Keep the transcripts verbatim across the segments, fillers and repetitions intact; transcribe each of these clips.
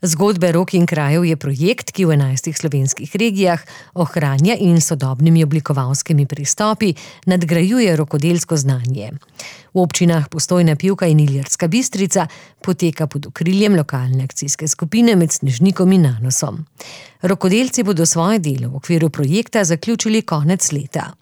Zgodbe rok in krajev je projekt, ki v enajstih slovenskih regijah ohranja in sodobnimi oblikovalskimi pristopi nadgrajuje rokodelsko znanje. V občinah Postojna, Pivka in Ilirska Bistrica poteka pod okriljem lokalne akcijske skupine med Snežnikom in Nanosom. Rokodelci bodo svoje delo v okviru projekta zaključili konec leta.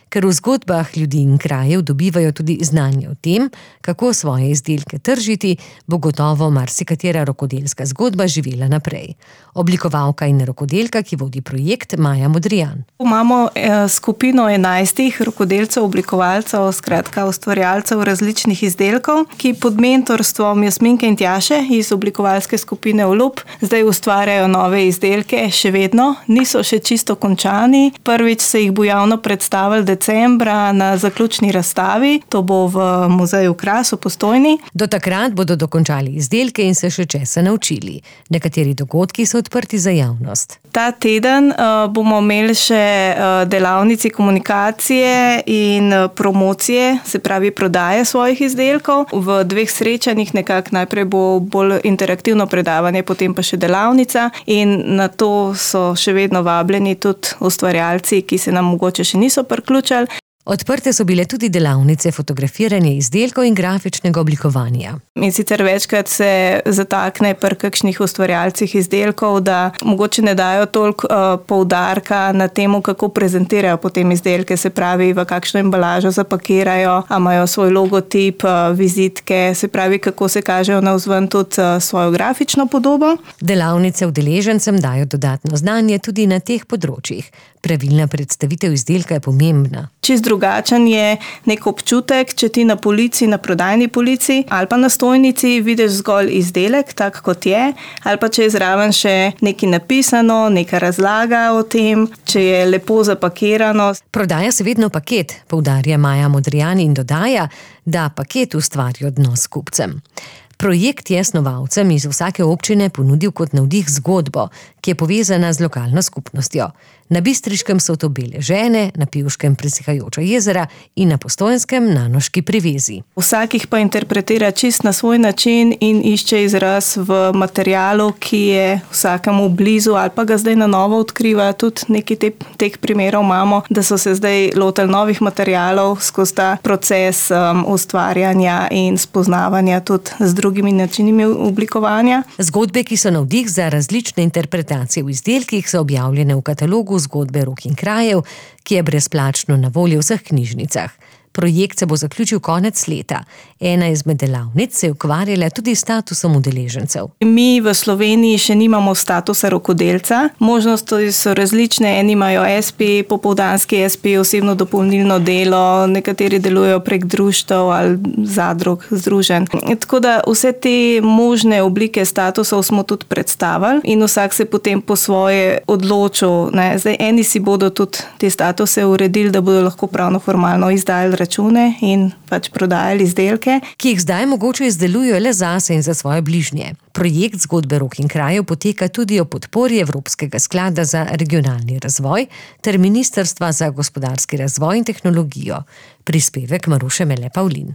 Ker v zgodbah ljudi in krajev dobivajo tudi znanje o tem, kako svoje izdelke tržiti, bo gotovo marsikatera rokodelska zgodba živela naprej. Oblikovalka in rokodelka, ki vodi projekt, Maja Modrijan. Imamo skupino enajstih rokodelcev, oblikovalcev, skratka ustvarjalcev različnih izdelkov, ki pod mentorstvom Jasminke in Tjaše iz oblikovalske skupine Olub zdaj ustvarjajo nove izdelke, še vedno, niso še čisto končani. Prvič se jih bo javno predstavili decembra na zaključni razstavi, to bo v muzeju Kras v Postojni. Do takrat bodo dokončali izdelke in se še česa naučili. Nekateri dogodki so odprti za javnost. Ta teden uh, bomo imeli še uh, delavnici komunikacije in uh, promocije, se pravi prodaje svojih izdelkov. V dveh srečanjih nekako najprej bo bolj interaktivno predavanje, potem pa še delavnica in na to so še vedno vabljeni tudi ustvarjalci, ki se nam mogoče še niso priključili. Odprte so bile tudi delavnice fotografiranja izdelkov in grafičnega oblikovanja. In sicer večkrat se zatakne pri kakšnih ustvarjalcih izdelkov, da mogoče ne dajo toliko uh, poudarka na temu, kako prezentirajo potem izdelke, se pravi, v kakšno embalažo zapakirajo, a imajo svoj logotip, uh, vizitke, se pravi, kako se kažejo navzven tudi uh, svojo grafično podobo. Delavnice udeležencem dajo dodatno znanje tudi na teh področjih. Pravilna predstavitev izdelka je pomembna. Čist drugačen je nek občutek, če ti na polici, na prodajni polici ali pa na stojnici vidiš zgolj izdelek, tak kot je, ali pa če je zraven še nekaj napisano, neka razlaga o tem, če je lepo zapakirano. Prodaja se vedno paket, poudarja Maja Modrijan in dodaja, da paket ustvari odnos s kupcem. Projekt je snovalcem iz vsake občine ponudil kot navdih zgodbo, ki je povezana z lokalno skupnostjo. Na Bistriškem so to Bele žene, na Pivškem Presihajoča jezera in na Postojnskem Nanoški privezi. Vsakih pa interpretira čist na svoj način in išče izraz v materialu, ki je vsakemu blizu ali pa ga zdaj na novo odkriva. Tudi nekaj te, teh primerov imamo, da so se zdaj lotili novih materialov skozi ta proces um, ustvarjanja in spoznavanja tudi z drugimi načinimi oblikovanja. Zgodbe, ki so navdih za različne interpretacije v izdelkih, so objavljene v katalogu Zgodbe rok in krajev, ki je brezplačno na voljo v vseh knjižnicah. Projekt se bo zaključil konec leta. Ena izmed delavnic se je ukvarjala tudi s statusom udeležencev. Mi v Sloveniji še nimamo statusa rokodelca. Možnosti so različne. Eni imajo es pe, popoldanski es pe, osebno dopolnilno delo, nekateri delujejo prek društev ali zadrug, združenj. Tako da vse te možne oblike statusov smo tudi predstavili in vsak se potem po svoje odločil. Ne. Zdaj, eni si bodo tudi te statuse uredili, da bodo lahko pravno formalno izdali račune in pač prodajali izdelke, ki jih zdaj mogoče izdelujejo le zase in za svoje bližnje. Projekt Zgodbe rok in krajev poteka tudi o podpori Evropskega sklada za regionalni razvoj ter Ministrstva za gospodarski razvoj in tehnologijo. Prispevek Maruše Mele Pavlin.